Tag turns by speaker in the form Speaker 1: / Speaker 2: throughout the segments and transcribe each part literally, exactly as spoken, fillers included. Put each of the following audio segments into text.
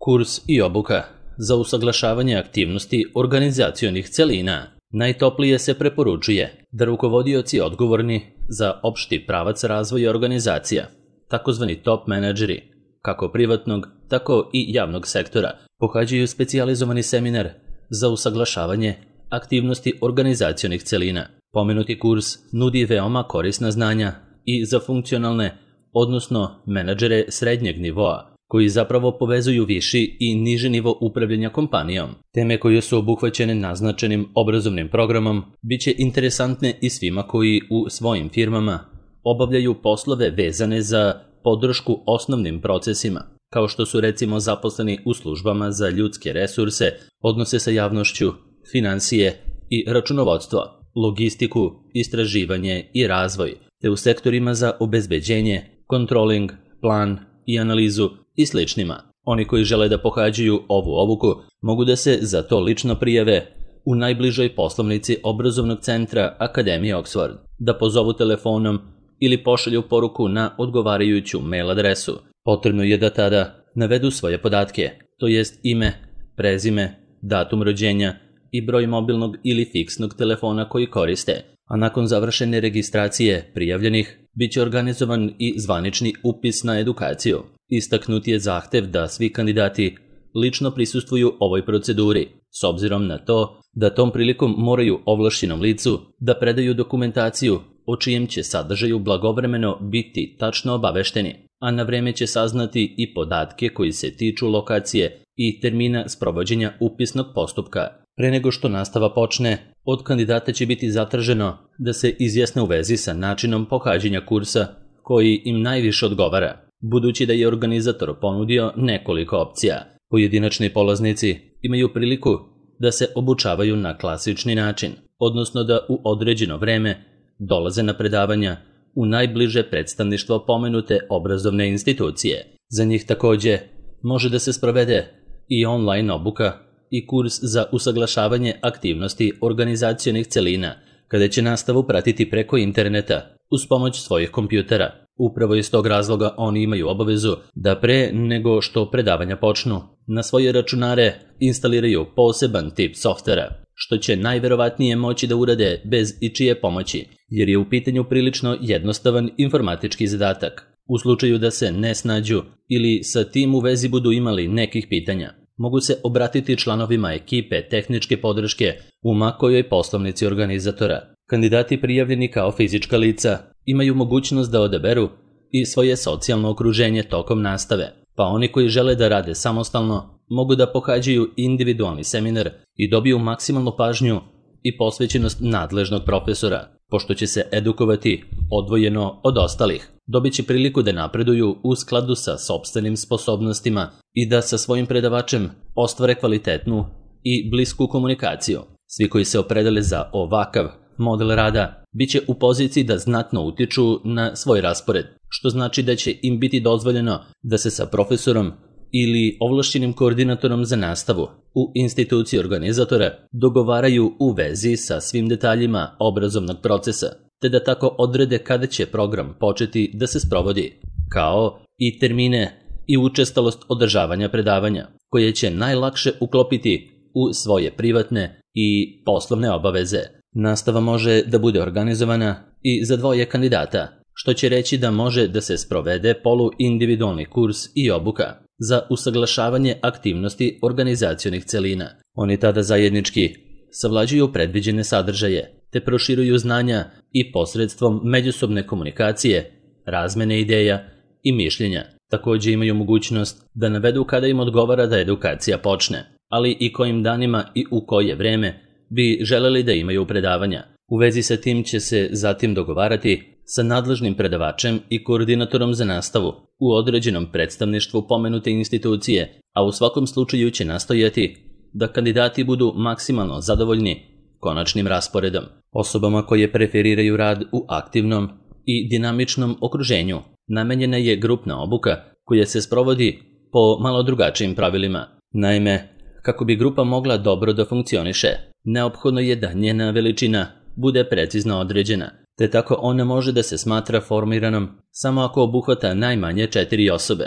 Speaker 1: Kurs i obuka za usaglašavanje aktivnosti organizacionih celina. Najtoplije se preporučuje da rukovodioci odgovorni za opšti pravac razvoja organizacija, takozvani top menadžeri, kako privatnog, tako i javnog sektora, pohađaju specijalizovani seminar za usaglašavanje aktivnosti organizacionih celina. Pomenuti kurs nudi veoma korisna znanja i za funkcionalne, odnosno menadžere srednjeg nivoa, koji zapravo povezuju viši i niži nivo upravljanja kompanijom. Teme koje su obuhvaćene naznačenim obrazovnim programom bit će interesantne i svima koji u svojim firmama obavljaju poslove vezane za podršku osnovnim procesima, kao što su recimo zaposleni u službama za ljudske resurse, odnose sa javnošću, finansije i računovodstvo, logistiku, istraživanje i razvoj, te u sektorima za obezbeđenje, kontroling, plan i analizu i sličnima. Oni koji žele da pohađaju ovu obuku mogu da se za to lično prijave u najbližoj poslovnici obrazovnog centra Akademije Oxford, da pozovu telefonom ili pošalju poruku na odgovarajuću mail adresu. Potrebno je da tada navedu svoje podatke, to jest ime, prezime, datum rođenja i broj mobilnog ili fiksnog telefona koji koriste, a nakon završene registracije prijavljenih bit će organizovan i zvanični upis na edukaciju. Istaknut je zahtev da svi kandidati lično prisustvuju ovoj proceduri, s obzirom na to da tom prilikom moraju ovlašćenom licu da predaju dokumentaciju o čijem će sadržaju blagovremeno biti tačno obavešteni, a na vreme će saznati i podatke koji se tiču lokacije i termina sprovođenja upisnog postupka. Pre nego što nastava počne, od kandidata će biti zatraženo da se izjasne u vezi sa načinom pohađanja kursa koji im najviše odgovara, budući da je organizator ponudio nekoliko opcija. Pojedinačni polaznici imaju priliku da se obučavaju na klasični način, odnosno da u određeno vreme dolaze na predavanja u najbliže predstavništvo pomenute obrazovne institucije. Za njih takođe može da se sprovede i online obuka i kurs za usaglašavanje aktivnosti organizacionih celina, kada će nastavu pratiti preko interneta uz pomoć svojih kompjutera. Upravo iz tog razloga oni imaju obavezu da pre nego što predavanja počnu, na svoje računare instaliraju poseban tip softvera, što će najverovatnije moći da urade bez ičije pomoći, jer je u pitanju prilično jednostavan informatički zadatak. U slučaju da se ne snađu ili sa tim u vezi budu imali nekih pitanja, mogu se obratiti članovima ekipe tehničke podrške u makojoj poslovnici organizatora. Kandidati prijavljeni kao fizička lica imaju mogućnost da odaberu i svoje socijalno okruženje tokom nastave, pa oni koji žele da rade samostalno mogu da pohađaju individualni seminar i dobiju maksimalnu pažnju i posvećenost nadležnog profesora, pošto će se edukovati odvojeno od ostalih. Dobit će priliku da napreduju u skladu sa sopstvenim sposobnostima i da sa svojim predavačem ostvare kvalitetnu i blisku komunikaciju. Svi koji se opredele za ovakav model rada bit će u poziciji da znatno utiču na svoj raspored, što znači da će im biti dozvoljeno da se sa profesorom ili ovlašćenim koordinatorom za nastavu u instituciji organizatora dogovaraju u vezi sa svim detaljima obrazovnog procesa, te da tako odrede kada će program početi da se sprovodi, kao i termine i učestalost održavanja predavanja, koje će najlakše uklopiti u svoje privatne i poslovne obaveze. Nastava može da bude organizovana i za dvoje kandidata, što će reći da može da se sprovede poluindividualni kurs i obuka za usaglašavanje aktivnosti organizacionih celina. Oni tada zajednički savlađuju predviđene sadržaje, te proširuju znanja i posredstvom međusobne komunikacije, razmene ideja i mišljenja. Takođe imaju mogućnost da navedu kada im odgovara da edukacija počne, ali i kojim danima i u koje vreme bi želeli da imaju predavanja. U vezi sa tim će se zatim dogovarati sa nadležnim predavačem i koordinatorom za nastavu u određenom predstavništvu pomenute institucije, a u svakom slučaju će nastojati da kandidati budu maksimalno zadovoljni konačnim rasporedom. Osobama koje preferiraju rad u aktivnom i dinamičnom okruženju namenjena je grupna obuka koja se sprovodi po malo drugačijim pravilima. Naime, kako bi grupa mogla dobro da funkcioniše, neophodno je da njena veličina bude precizno određena, te tako ona može da se smatra formiranom samo ako obuhvata najmanje četiri osobe.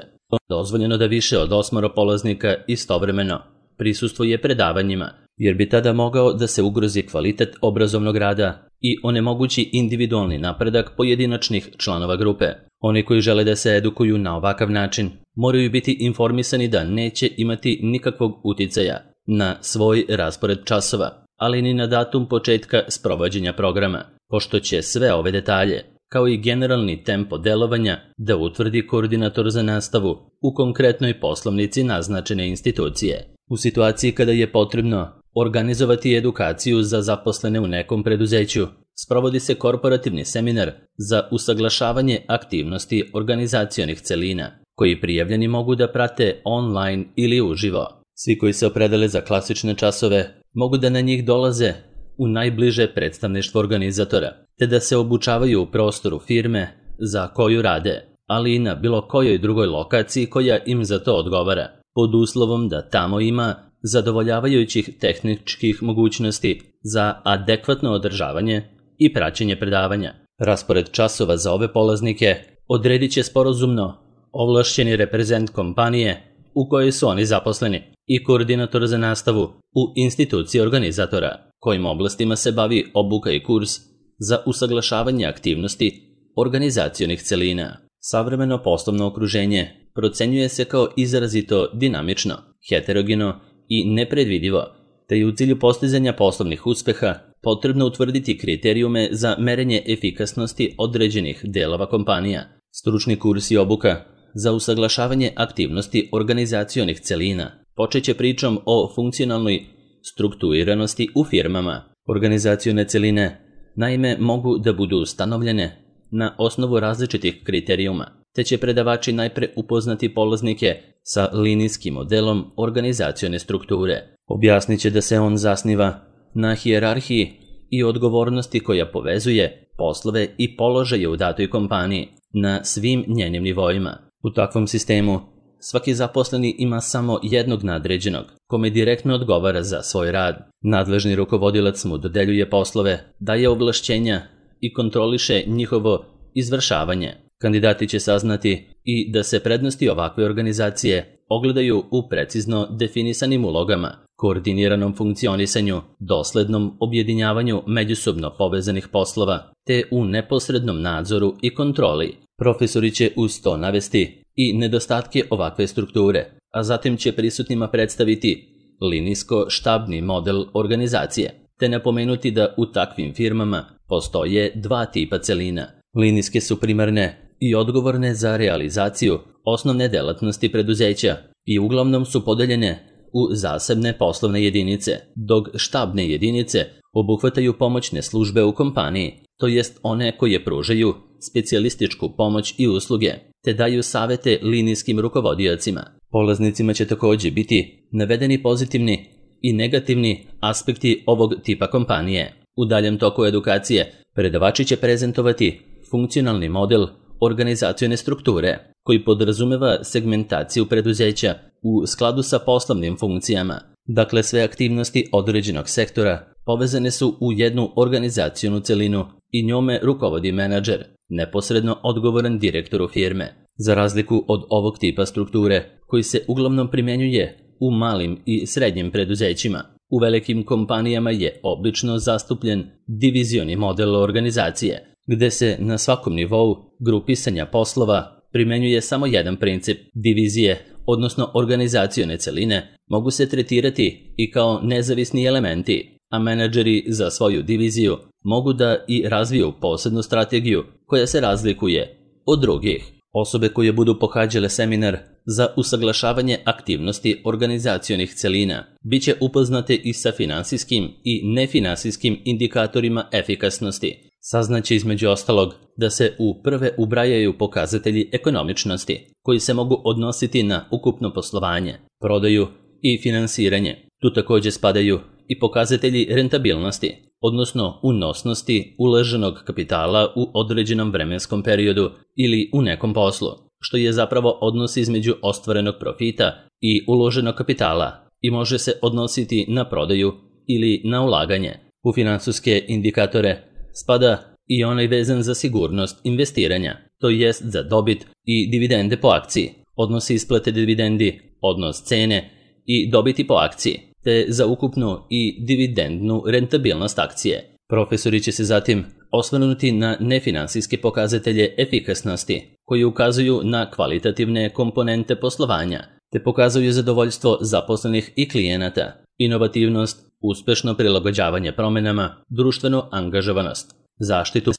Speaker 1: dozvoljeno da više od osmoro polaznika istovremeno prisustvuje predavanjima, jer bi tada mogao da se ugrozi kvalitet obrazovnog rada i onemogući individualni napredak pojedinačnih članova grupe. Oni koji žele da se edukuju na ovakav način moraju biti informisani da neće imati nikakvog uticaja na svoj raspored časova, ali ni na datum početka sprovođenja programa, pošto će sve ove detalje, kao i generalni tempo delovanja, da utvrdi koordinator za nastavu u konkretnoj poslovnici naznačene institucije. U situaciji kada je potrebno organizovati edukaciju za zaposlene u nekom preduzeću, sprovodi se korporativni seminar za usaglašavanje aktivnosti organizacionih celina, koji prijavljeni mogu da prate online ili uživo. Svi koji se opredele za klasične časove mogu da na njih dolaze u najbliže predstavništvo organizatora, te da se obučavaju u prostoru firme za koju rade, ali i na bilo kojoj drugoj lokaciji koja im za to odgovara, pod uslovom da tamo ima zadovoljavajućih tehničkih mogućnosti za adekvatno održavanje i praćenje predavanja. Raspored časova za ove polaznike odredit će sporazumno ovlašćeni reprezent kompanije u kojoj su oni zaposleni i koordinator za nastavu u instituciji organizatora, kojim oblastima se bavi obuka i kurs za usaglašavanje aktivnosti organizacionih celina. Savremeno poslovno okruženje procenjuje se kao izrazito dinamično, heterogeno i nepredvidivo, te je u cilju postizanja poslovnih uspeha potrebno utvrditi kriterijume za merenje efikasnosti određenih delova kompanija. Stručni kurs i obuka za usaglašavanje aktivnosti organizacionih celina počeće pričom o funkcionalnoj strukturiranosti u firmama. Organizacione celine naime mogu da budu ustanovljene na osnovu različitih kriterijuma, te će predavači najpre upoznati polaznike sa linijskim modelom organizacione strukture. Objasnit će da se on zasniva na hijerarhiji i odgovornosti koja povezuje poslove i položaje u datoj kompaniji na svim njenim nivoima. U takvom sistemu svaki zaposleni ima samo jednog nadređenog, kome direktno odgovara za svoj rad. Nadležni rukovodilac mu dodeljuje poslove, daje ovlašćenja i kontroliše njihovo izvršavanje. Kandidati će saznati i da se prednosti ovakve organizacije ogledaju u precizno definisanim ulogama, koordiniranom funkcionisanju, doslednom objedinjavanju međusobno povezanih poslova, te u neposrednom nadzoru i kontroli. Profesori će uz to navesti i nedostatke ovakve strukture, a zatim će prisutnima predstaviti linijsko-štabni model organizacije, te napomenuti da u takvim firmama postoje dva tipa celina. Linijske su primarne i odgovorne za realizaciju osnovne delatnosti preduzeća i uglavnom su podeljene u zasebne poslovne jedinice, dok štabne jedinice obuhvataju pomoćne službe u kompaniji, to jest one koje pružaju specijalističku pomoć i usluge, te daju savete linijskim rukovodiocima. Polaznicima će također biti navedeni pozitivni i negativni aspekti ovog tipa kompanije. U daljem toku edukacije predavači će prezentovati funkcionalni model organizacione strukture, koji podrazumeva segmentaciju preduzeća u skladu sa poslovnim funkcijama. Dakle, sve aktivnosti određenog sektora povezane su u jednu organizacionu celinu i njome rukovodi menadžer, neposredno odgovoran direktoru firme. Za razliku od ovog tipa strukture, koji se uglavnom primjenjuje u malim i srednjim preduzećima, u velikim kompanijama je obično zastupljen divizioni model organizacije, gde se na svakom nivou grupisanja poslova primenjuje samo jedan princip. Divizije, odnosno organizacione celine, mogu se tretirati i kao nezavisni elementi, a menadžeri za svoju diviziju mogu da i razviju posebnu strategiju koja se razlikuje od drugih. Osobe koje budu pohađale seminar za usaglašavanje aktivnosti organizacionih celina biće upoznate i sa finansijskim i nefinansijskim indikatorima efikasnosti. Saznaće između ostalog da se u prve ubrajaju pokazatelji ekonomičnosti, koji se mogu odnositi na ukupno poslovanje, prodaju i finansiranje. Tu također spadaju i pokazatelji rentabilnosti, odnosno unosnosti uloženog kapitala u određenom vremenskom periodu ili u nekom poslu, što je zapravo odnos između ostvarenog profita i uloženog kapitala i može se odnositi na prodaju ili na ulaganje. U finansijske indikatore spada i onaj vezan za sigurnost investiranja, to jest za dobit i dividende po akciji. odnos isplate dividendi, odnos cene i dobiti po akciji, te za ukupnu i dividendnu rentabilnost akcije. Profesori će se zatim osvrnuti na nefinansijske pokazatelje efikasnosti koji ukazuju na kvalitativne komponente poslovanja te pokazuju zadovoljstvo zaposlenih i klijenata, inovativnost, uspešno prilagođavanje promenama, društvenu angažovanost, zaštitu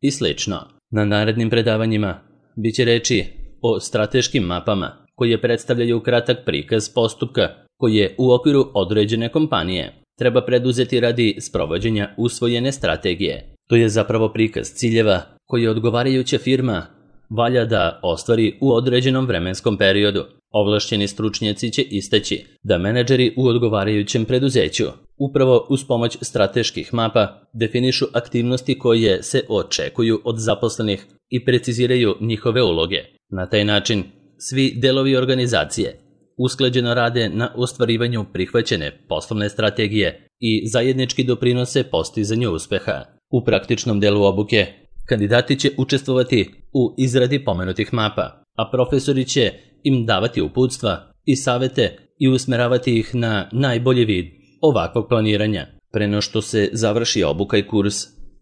Speaker 1: i sl. Na narednim predavanjima biće reči o strateškim mapama koje predstavljaju kratak prikaz postupka koji je u okviru određene kompanije treba preduzeti radi sprovođenja usvojene strategije. To je zapravo prikaz ciljeva koje odgovarajuća firma valja da ostvari u određenom vremenskom periodu. Ovlašćeni stručnjaci će istaći da menadžeri u odgovarajućem preduzeću upravo uz pomoć strateških mapa definišu aktivnosti koje se očekuju od zaposlenih i preciziraju njihove uloge. Na taj način svi delovi organizacije usklađeno rade na ostvarivanju prihvaćene poslovne strategije i zajednički doprinose postizanju uspeha. U praktičnom delu obuke kandidati će učestvovati u izradi pomenutih mapa, a profesori će im davati uputstva i savete i usmeravati ih na najbolji vid ovakvog planiranja. Pre no što se završi obuka i kurs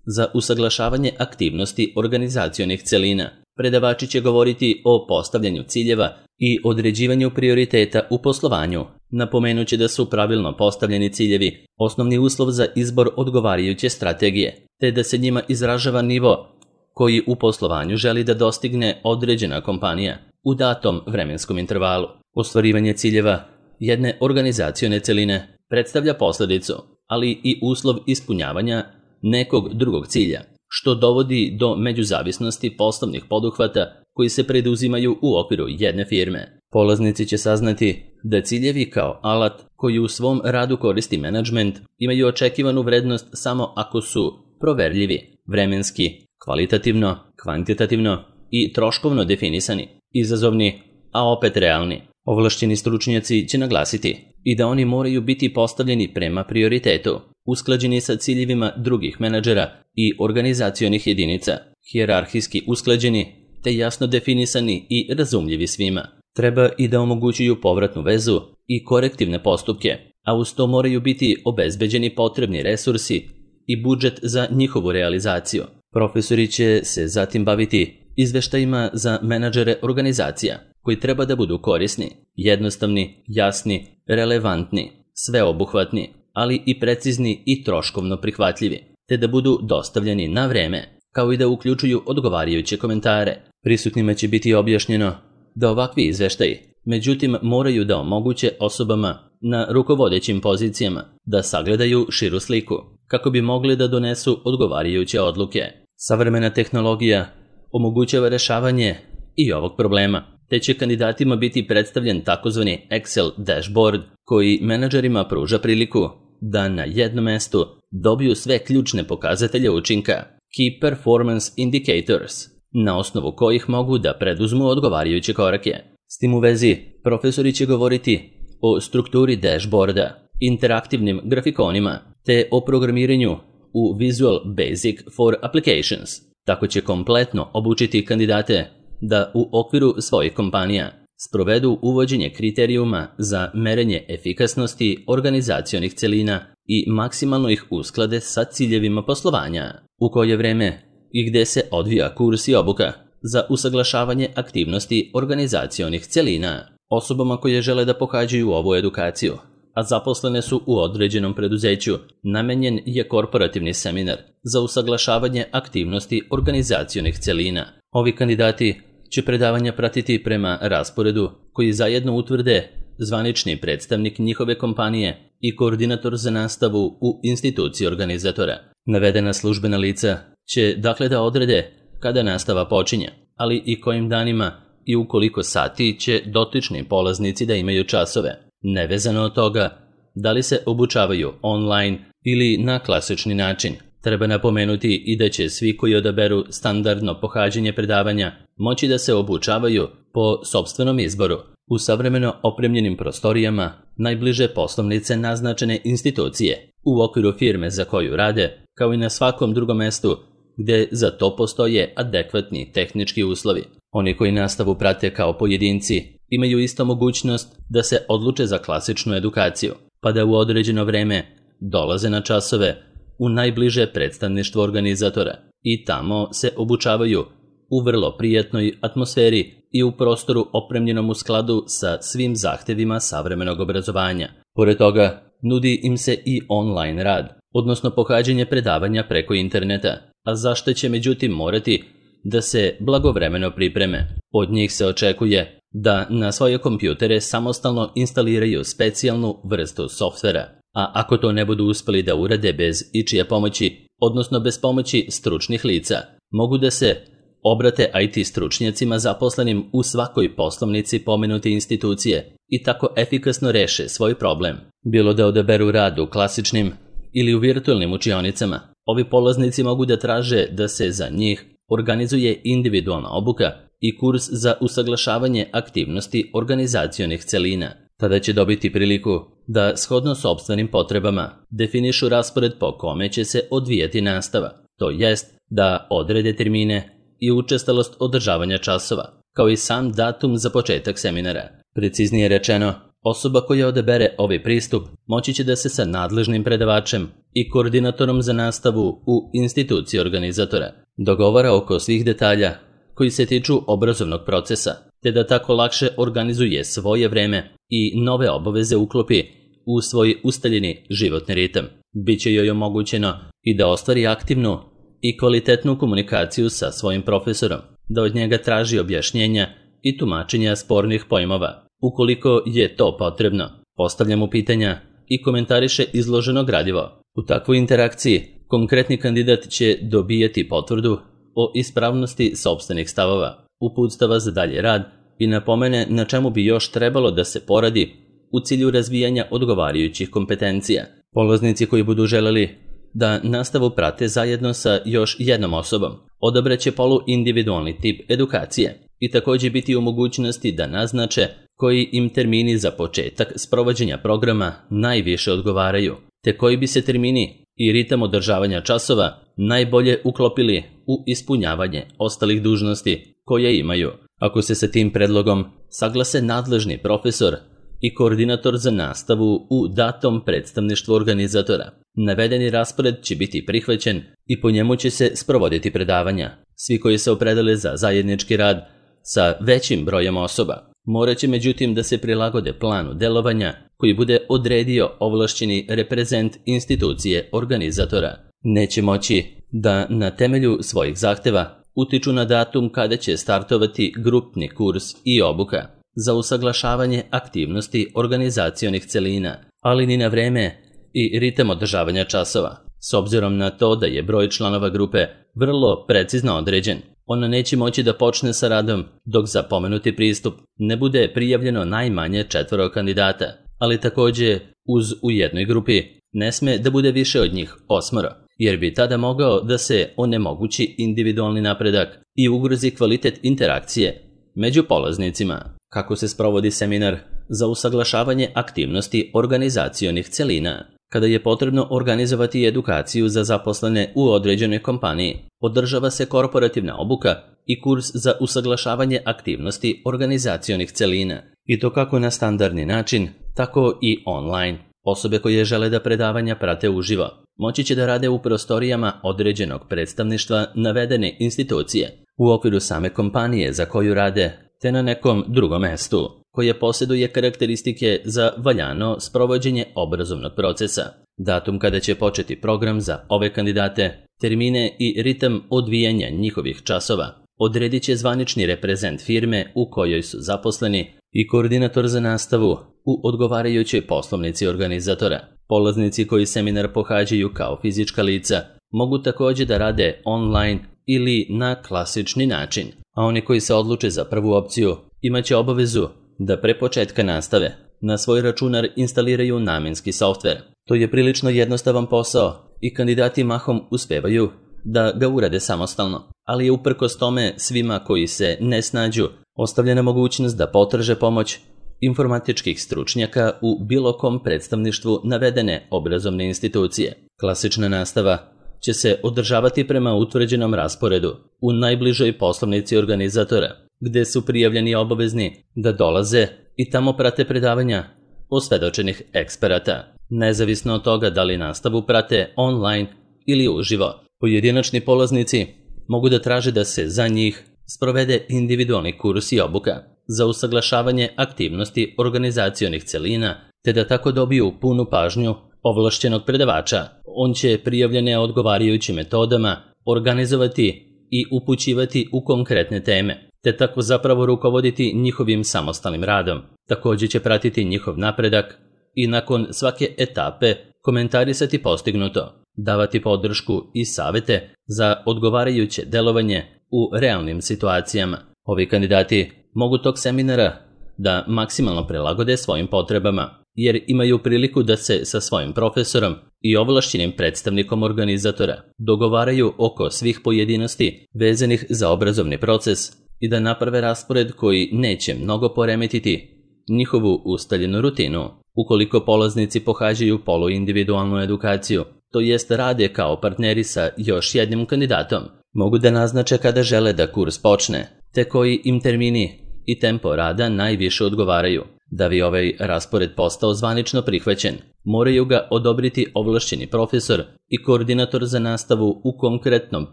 Speaker 1: za usaglašavanje aktivnosti organizacionih celina, predavači će govoriti o postavljanju ciljeva i određivanju prioriteta u poslovanju. Napomenuće da su pravilno postavljeni ciljevi osnovni uslov za izbor odgovarajuće strategije, te da se njima izražava nivo koji u poslovanju želi da dostigne određena kompanija u datom vremenskom intervalu. Ostvarivanje ciljeva jedne organizacione celine predstavlja posledicu, ali i uslov ispunjavanja nekog drugog cilja, što dovodi do međuzavisnosti poslovnih poduhvata koji se preduzimaju u okviru jedne firme. Polaznici će saznati da ciljevi kao alat koji u svom radu koristi menadžment imaju očekivanu vrednost samo ako su proverljivi, vremenski, kvalitativno, kvantitativno i troškovno definisani, izazovni, a opet realni. Ovlašćeni stručnjaci će naglasiti i da oni moraju biti postavljeni prema prioritetu, usklađeni sa ciljevima drugih menadžera i organizacionih jedinica, hijerarhijski usklađeni te jasno definisani i razumljivi svima. Treba i da omogućuju povratnu vezu i korektivne postupke, a uz to moraju biti obezbeđeni potrebni resursi i budžet za njihovu realizaciju. Profesori će se zatim baviti izveštajima za menadžere organizacija, koji treba da budu korisni, jednostavni, jasni, relevantni, sveobuhvatni, ali i precizni i troškovno prihvatljivi, te da budu dostavljeni na vreme, kao i da uključuju odgovarajuće komentare. Prisutnima će biti objašnjeno da ovakvi izveštaji, međutim, moraju da omoguće osobama na rukovodećim pozicijama da sagledaju širu sliku, kako bi mogli da donesu odgovarajuće odluke. Savremena tehnologija omogućava rešavanje i ovog problema, te će kandidatima biti predstavljen takozvani Excel dashboard koji menadžerima pruža priliku da na jednom mestu dobiju sve ključne pokazatelje učinka, Key Performance Indicators, na osnovu kojih mogu da preduzmu odgovarajuće korake. S tim u vezi, profesori će govoriti o strukturi dashboarda, interaktivnim grafikonima, te o programiranju u Visual Basic for Applications. Tako će kompletno obučiti kandidate da u okviru svojih kompanija sprovedu uvođenje kriterijuma za merenje efikasnosti organizacionih celina i maksimalno ih usklade sa ciljevima poslovanja. U koje vreme i gde se odvija kurs i obuka za usaglašavanje aktivnosti organizacionih celina. Osobama koje žele da pohađaju ovu edukaciju, a zaposlene su u određenom preduzeću, namenjen je korporativni seminar za usaglašavanje aktivnosti organizacionih celina. Ovi kandidati će predavanja pratiti prema rasporedu koji zajedno utvrde zvanični predstavnik njihove kompanije i koordinator za nastavu u instituciji organizatora. Navedena službena lica će dakle da odrede kada nastava počinje, ali i kojim danima i u koliko sati će dotični polaznici da imaju časove, nevezano od toga da li se obučavaju online ili na klasični način. Treba napomenuti i da će svi koji odaberu standardno pohađanje predavanja moći da se obučavaju po sopstvenom izboru u savremeno opremljenim prostorijama najbliže poslovnice naznačene institucije u okviru firme za koju rade, kao i na svakom drugom mestu gde za to postoje adekvatni tehnički uslovi. Oni koji nastavu prate kao pojedinci imaju isto mogućnost da se odluče za klasičnu edukaciju, pa da u određeno vreme dolaze na časove u najbliže predstavništvo organizatora i tamo se obučavaju u vrlo prijatnoj atmosferi i u prostoru opremljenom u skladu sa svim zahtevima savremenog obrazovanja. Pored toga, nudi im se i online rad, odnosno pohađanje predavanja preko interneta, a zašto će međutim morati da se blagovremeno pripreme. Od njih se očekuje da na svoje kompjutere samostalno instaliraju specijalnu vrstu softvera, a ako to ne budu uspeli da urade bez ičije pomoći, odnosno bez pomoći stručnih lica, mogu da se obrate I T stručnjacima zaposlenim u svakoj poslovnici pomenute institucije i tako efikasno reše svoj problem. Bilo da odaberu rad u klasičnim ili u virtualnim učionicama, ovi polaznici mogu da traže da se za njih organizuje individualna obuka i kurs za usaglašavanje aktivnosti organizacionih celina. Tada će dobiti priliku da, shodno sopstvenim potrebama, definišu raspored po kome će se odvijati nastava, to jest da odrede termine i učestalost održavanja časova, kao i sam datum za početak seminara. Preciznije rečeno, osoba koja odabere ovaj pristup moći će da se sa nadležnim predavačem i koordinatorom za nastavu u instituciji organizatora dogovara oko svih detalja koji se tiču obrazovnog procesa, te da tako lakše organizuje svoje vreme i nove obaveze uklopi u svoj ustaljeni životni ritam. Biće joj omogućeno i da ostvari aktivnu i kvalitetnu komunikaciju sa svojim profesorom, da od njega traži objašnjenja i tumačenja spornih pojmova, ukoliko je to potrebno, postavlja mu pitanja i komentariše izloženo gradivo. U takvoj interakciji konkretni kandidat će dobijati potvrdu o ispravnosti sopstvenih stavova, uputstava za dalje rad i napomene na čemu bi još trebalo da se poradi u cilju razvijanja odgovarajućih kompetencija. Polaznici koji budu želeli da nastavu prate zajedno sa još jednom osobom, odabraće polu individualni tip edukacije i također biti u mogućnosti da naznače koji im termini za početak sprovođenja programa najviše odgovaraju, te koji bi se termini i ritam održavanja časova najbolje uklopili u ispunjavanje ostalih dužnosti koje imaju. Ako se sa tim predlogom saglase nadležni profesor i koordinator za nastavu u datom predstavništvu organizatora, navedeni raspored će biti prihvaćen i po njemu će se sprovoditi predavanja. Svi koji se opredele za zajednički rad sa većim brojem osoba morat će međutim da se prilagode planu delovanja koji bude odredio ovlašćeni reprezent institucije organizatora. Neće moći da na temelju svojih zahteva utiču na datum kada će startovati grupni kurs i obuka za usaglašavanje aktivnosti organizacionih celina, ali ni na vreme i ritam održavanja časova. S obzirom na to da je broj članova grupe vrlo precizno određen, ona neće moći da počne sa radom dok za pomenuti pristup ne bude prijavljeno najmanje četvoro kandidata, ali također uz u jednoj grupi ne sme da bude više od njih osmoro, jer bi tada mogao da se onemogući individualni napredak i ugrozi kvalitet interakcije među polaznicima. Kako se sprovodi seminar za usaglašavanje aktivnosti organizacionih celina? Kada je potrebno organizovati edukaciju za zaposlene u određenoj kompaniji, održava se korporativna obuka i kurs za usaglašavanje aktivnosti organizacionih celina, i to kako na standardni način, tako i online. Osobe koje žele da predavanja prate uživo moći će da rade u prostorijama određenog predstavništva navedene institucije, u okviru same kompanije za koju rade, te na nekom drugom mestu koje posjeduje karakteristike za valjano sprovođenje obrazovnog procesa. Datum kada će početi program za ove kandidate, termine i ritam odvijanja njihovih časova odredit će zvanični reprezent firme u kojoj su zaposleni i koordinator za nastavu u odgovarajućoj poslovnici organizatora. Polaznici koji seminar pohađaju kao fizička lica mogu također da rade online ili na klasični način, a oni koji se odluče za prvu opciju imaće obavezu da pre početka nastave na svoj računar instaliraju namenski softver. To je prilično jednostavan posao i kandidati mahom uspevaju da ga urade samostalno, ali je uprkos tome svima koji se ne snađu ostavljena mogućnost da potraže pomoć informatičkih stručnjaka u bilo kom predstavništvu navedene obrazovne institucije. Klasična nastava će se održavati prema utvrđenom rasporedu u najbližoj poslovnici organizatora gde su prijavljeni obavezni da dolaze i tamo prate predavanja osvedočenih eksperata, nezavisno od toga da li nastavu prate online ili uživo. Pojedinačni polaznici mogu da traže da se za njih sprovede individualni kurs i obuka za usaglašavanje aktivnosti organizacionih celina, te da tako dobiju punu pažnju ovlašćenog predavača. On će prijavljene odgovarajućim metodama organizovati i upućivati u konkretne teme, te tako zapravo rukovoditi njihovim samostalnim radom. Također će pratiti njihov napredak i nakon svake etape komentarisati postignuto, davati podršku i savete za odgovarajuće delovanje u realnim situacijama. Ovi kandidati mogu tog seminara da maksimalno prilagode svojim potrebama, jer imaju priliku da se sa svojim profesorom i ovlašćenim predstavnikom organizatora dogovaraju oko svih pojedinosti vezanih za obrazovni proces i da naprave raspored koji neće mnogo poremetiti njihovu ustaljenu rutinu. Ukoliko polaznici pohađaju poluindividualnu edukaciju, to jest rade kao partneri sa još jednim kandidatom, mogu da naznače kada žele da kurs počne, te koji im termini i tempo rada najviše odgovaraju. Da bi ovaj raspored postao zvanično prihvaćen, moraju ga odobriti ovlašćeni profesor i koordinator za nastavu u konkretnom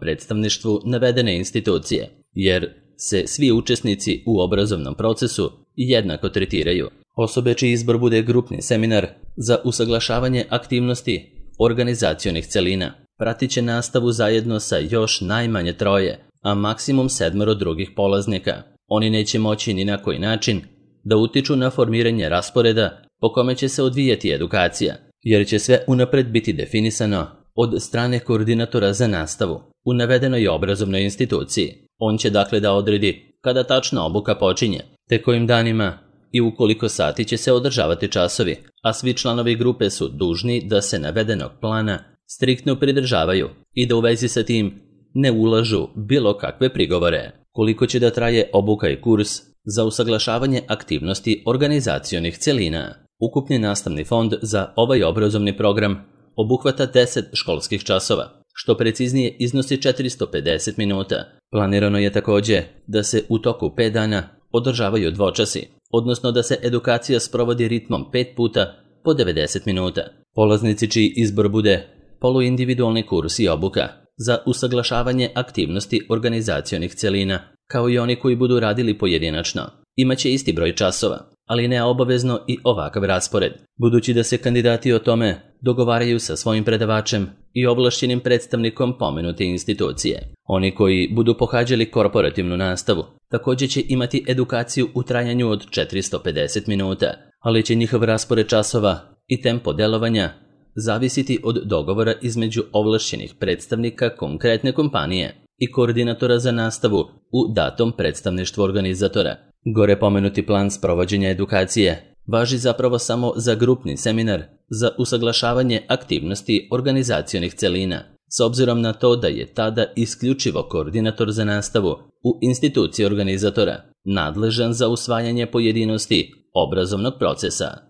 Speaker 1: predstavništvu navedene institucije, jer se svi učesnici u obrazovnom procesu jednako tretiraju. Osobe čiji izbor bude grupni seminar za usaglašavanje aktivnosti organizacionih celina pratit će nastavu zajedno sa još najmanje troje, a maksimum sedmoro drugih polaznika. Oni neće moći ni na koji način da utiču na formiranje rasporeda po kome će se odvijati edukacija, jer će sve unapred biti definisano od strane koordinatora za nastavu u navedenoj obrazovnoj instituciji. On će dakle da odredi kada tačna obuka počinje, te kojim danima i u koliko sati će se održavati časovi, a svi članovi grupe su dužni da se navedenog plana striktno pridržavaju i da u vezi sa tim ne ulažu bilo kakve prigovore. Koliko će da traje obuka i kurs za usaglašavanje aktivnosti organizacionih celina? Ukupni nastavni fond za ovaj obrazovni program obuhvata deset školskih časova, što preciznije iznosi četiristo pedeset minuta. Planirano je također da se u toku pet dana održavaju dvočasi, odnosno da se edukacija sprovodi ritmom pet puta po devedeset minuta. Polaznici čiji izbor bude poluindividualni kurs i obuka za usaglašavanje aktivnosti organizacionih celina, kao i oni koji budu radili pojedinačno, imaće isti broj časova, ali ne obavezno i ovakav raspored, budući da se kandidati o tome dogovaraju sa svojim predavačem i ovlašćenim predstavnikom pomenute institucije. Oni koji budu pohađali korporativnu nastavu također će imati edukaciju u trajanju od četiristo pedeset minuta, ali će njihov raspored časova i tempo delovanja zavisiti od dogovora između ovlašćenih predstavnika konkretne kompanije i koordinatora za nastavu u datom predstavništvu organizatora. Gore pomenuti plan sprovođenja edukacije važi zapravo samo za grupni seminar za usaglašavanje aktivnosti organizacionih celina, s obzirom na to da je tada isključivo koordinator za nastavu u instituciji organizatora nadležan za usvajanje pojedinosti obrazovnog procesa.